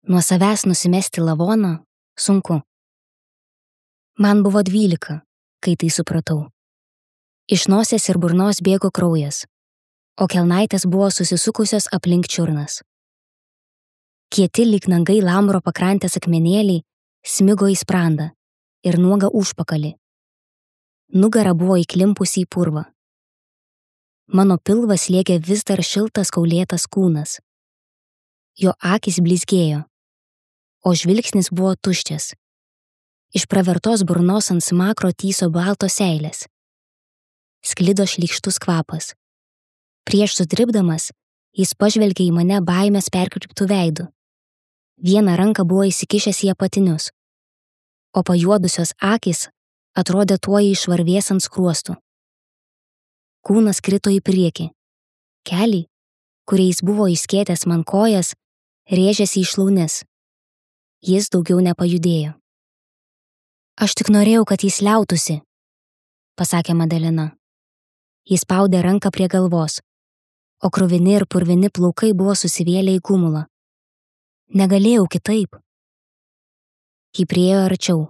Nuo savęs nusimesti lavoną sunku. Man buvo 12, kai tai supratau. Iš nosies ir burnos bėgo kraujas, o kelnaitės buvo susisukusios aplink čiurnas. Kieti lyg nagai Lamro pakrantės akmenėliai smigo į sprandą ir nuogą užpakalį. Nugara buvo įklimpusi į purvą. Mano pilvas slėgė vis dar šiltas kaulėtas kūnas. Jo akys blizgėjo, o žvilgsnis buvo tuščias. Iš pravertos burnos ant smakro tyso baltos seilės. Sklido šlykštus kvapas. Prieš sudribdamas, jis pažvelgė į mane baimės perkreiptų veidų. Vieną ranką buvo įsikišęs į apatinius, o pajuodusios akys atrodė tuoj išvarvės ant skruostų. Kūnas krito į priekį. Keliai, kuriais buvo išskėtęs man kojas, rėžėsi į šlaunis. Jis daugiau nepajudėjo. Aš tik norėjau, kad jis liautųsi, pasakė Madalena. Jis spaudė ranką prie galvos, o kruvini ir purvini plaukai buvo susivėlę į gumulą. Negalėjau kitaip. Ji priėjo arčiau.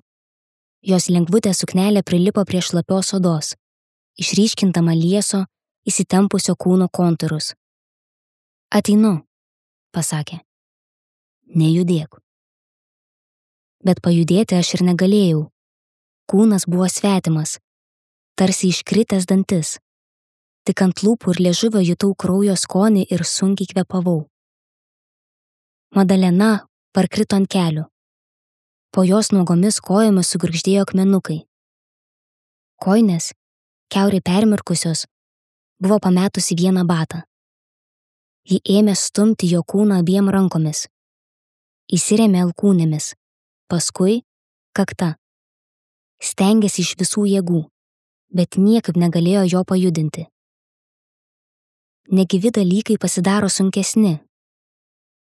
Jos lengvutė suknelė prilipo prie šlapios odos, išryškintama lieso, įsitempusio kūno kontūrus. Ateinu, pasakė. Nejudėk. Bet pajudėti aš ir negalėjau. Kūnas buvo svetimas, tarsi iškritęs dantis. Tik ant lūpų ir liežuvio jutau kraujo skonį ir sunkiai kvėpavau. Madalena parkrito ant kelių. Po jos nuogomis kojomis sugurgždėjo akmenukai. Kojinės, kiaurai permirkusios, buvo pametusi vieną batą. Ji ėmė stumti jo kūną abiem rankomis. Įsirėmė alkūnėmis, paskui kakta. Stengėsi iš visų jėgų, bet niekaip negalėjo jo pajudinti. Negyvi dalykai pasidaro sunkesni,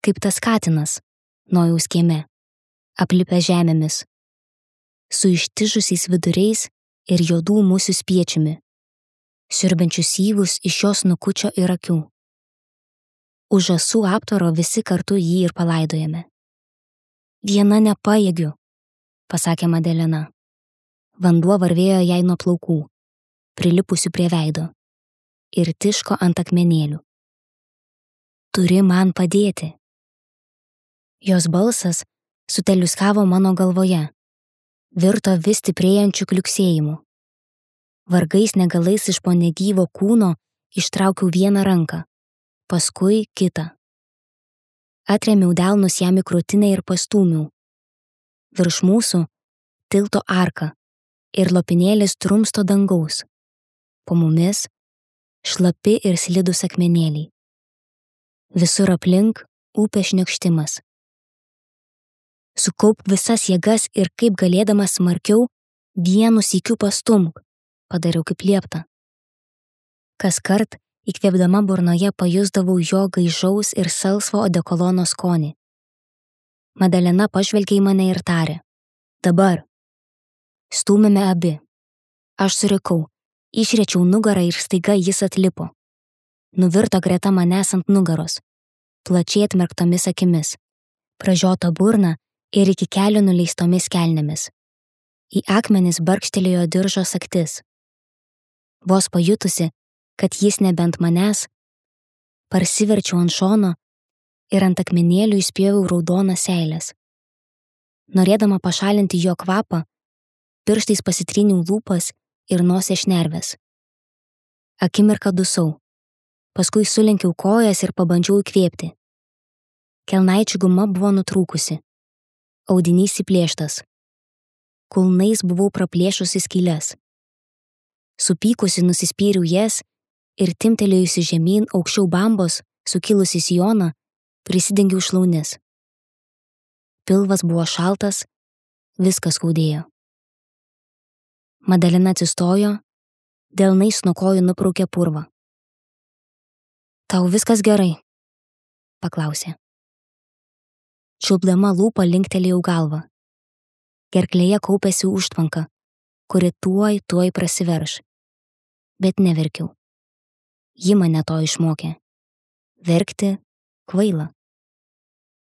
kaip tas katinas Nojaus kieme, aplipę žemėmis, su ištižusiais viduriais ir juodų musių spiečiumi, siurbiančius syvus iš jos snukučio ir akių. Už žąsų aptvaro visi kartu jį ir palaidojame. Viena nepajėgiu, pasakė Madalena. Vanduo varvėjo jai nuo plaukų, prilipusių prie veido, ir tiško ant akmenėlių. Turi man padėti. Jos balsas suteliuskavo mano galvoje, virto vis stiprėjančių kliuksėjimų. Vargais negalais iš po negyvo kūno ištraukiau vieną ranką, paskui kitą. Atrėmiau delnus jam į krūtinę ir pastūmiau. Virš mūsų tilto arka ir lopinėlis trumsto dangaus. Po mumis šlapi ir slidūs akmenėliai. Visur aplink upės šniokštimas. Sukaup visas jėgas ir kaip galėdamas smarkiau, vienu sykiu pastumk, padariau kaip liepta. Kaskart, įkvėpdama burnoje pajusdavau jo gaižaus ir salsvo odekolono skonį. Madalena pažvelgė į mane ir tarė. Dabar. Stūmėme abi. Aš surikau, išriečiau nugarą ir staiga jis atlipo. Nuvirto greta manęs ant nugaros, plačiai atmerktomis akimis, pražiota burna ir iki kelių nuleistomis kelnėmis. Į akmenis barkštelėjo diržo sagtis. Vos pajutusi, kad jis nebent manęs, parsiverčiau ant šono ir ant akmenėlių įspjoviau raudonas seilės. Norėdama pašalinti jo kvapą, pirštais pasitryniau lūpas ir nosies šnerves. Akimirką dusau, paskui sulenkiau kojas ir pabandžiau įkvėpti. Kelnaičių guma buvo nutrūkusi, audinys įplėštas. Kulnais buvau praplėšusi skyles. Supykusi nusispyriau jas ir timtelėjusi žemyn aukščiau bambos, sukilusi sijoną, prisidengiau šlaunis. Pilvas buvo šaltas, viskas skaudėjo. Madalena atsistojo, delnais nuo kojų nupraukė purvą. Tau viskas gerai? Paklausė. Čiulpdama lūpą linktelėjau galvą. Gerklėje kaupėsi užtvanka, kuri tuoj prasiverš. Bet neverkiau. Ji mane to išmokė. Verkti kvaila.